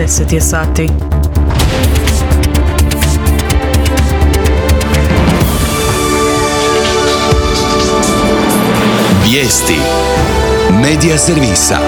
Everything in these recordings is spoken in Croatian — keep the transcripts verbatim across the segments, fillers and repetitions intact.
deset je sati. Vijesti Medija servisa.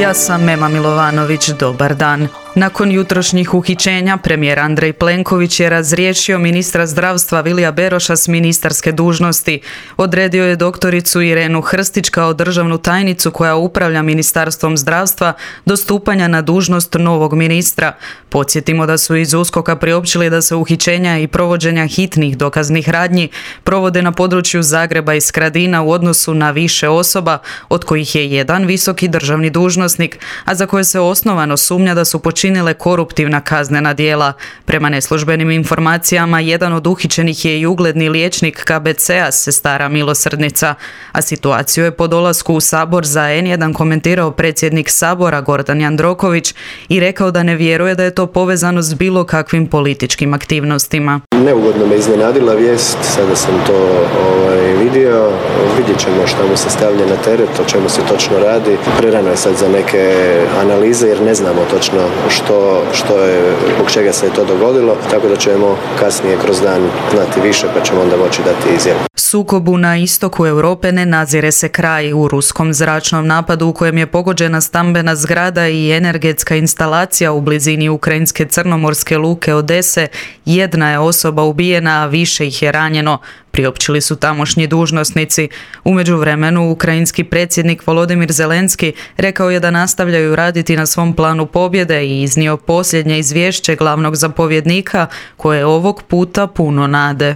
Ja sam Mema Milovanović, dobar dan. Nakon jutrošnjih uhićenja, premijer Andrej Plenković je razriješio ministra zdravstva Vilija Beroša s ministarske dužnosti. Odredio je doktoricu Irenu Hrstić kao državnu tajnicu koja upravlja Ministarstvom zdravstva do stupanja na dužnost novog ministra. Podsjetimo da su iz USKOK-a priopćili da se uhićenja i provođenja hitnih dokaznih radnji provode na području Zagreba i Skradina u odnosu na više osoba, od kojih je jedan visoki državni dužnosnik, a za koje se osnovano sumnja da su počinili činile koruptivna kaznena djela. Prema neslužbenim informacijama, jedan od uhićenih je i ugledni liječnik K B C-a Sestara milosrdnica, a situaciju je po dolasku u Sabor za en jedan komentirao predsjednik Sabora Gordan Jandroković i rekao da ne vjeruje da je to povezano s bilo kakvim političkim aktivnostima. Neugodno me iznenadila vijest, sada sam to ovaj, vidio, vidjet ćemo što mu se stavlja na teret, o čemu se točno radi. Prerano je sad za neke analize jer ne znamo točno što, što je, zbog čega se je to dogodilo, tako da ćemo kasnije kroz dan znati više pa ćemo onda moći dati izjavu. Sukobu na istoku Europe ne nazire se kraj. U ruskom zračnom napadu u kojem je pogođena stambena zgrada i energetska instalacija u blizini ukrajinske crnomorske luke Odese, jedna je osoba ubijena, a više ih je ranjeno, priopćili su tamošnji dužnosnici. U međuvremenu, ukrajinski predsjednik Volodimir Zelenski rekao je da nastavljaju raditi na svom planu pobjede i iznio posljednje izvješće glavnog zapovjednika, koje je ovog puta puno nade.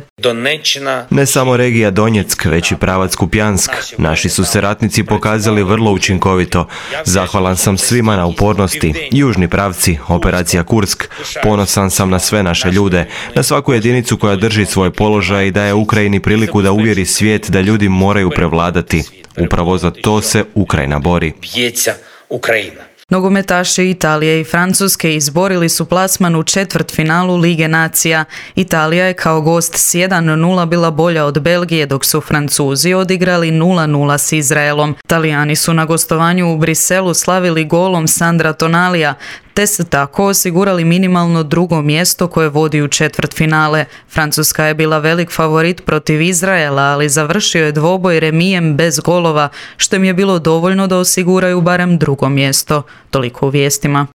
Ne samo regija Donjeck, već i pravac Kupjansk. Naši su se ratnici pokazali vrlo učinkovito. Zahvalan sam svima na upornosti. Južni pravci, operacija Kursk. Ponosan sam na sve naše ljude, na svaku jedinicu koja drži svoj položaj i daje Ukrajini priliku da uvjeri svijet da ljudi moraju prevladati. Upravo za to se Ukrajina bori. Nogometaši Italije i Francuske izborili su plasman u četvrtfinalu Lige nacija. Italija je kao gost s jedan nula bila bolja od Belgije, dok su Francuzi odigrali nula nula s Izraelom. Talijani su na gostovanju u Briselu slavili golom Sandra Tonalija, te se tako osigurali minimalno drugo mjesto koje vodi u četvrtfinale. Francuska je bila velik favorit protiv Izraela, ali završio je dvoboj remijem bez golova, što im je bilo dovoljno da osiguraju barem drugo mjesto. Toliko u vijestima.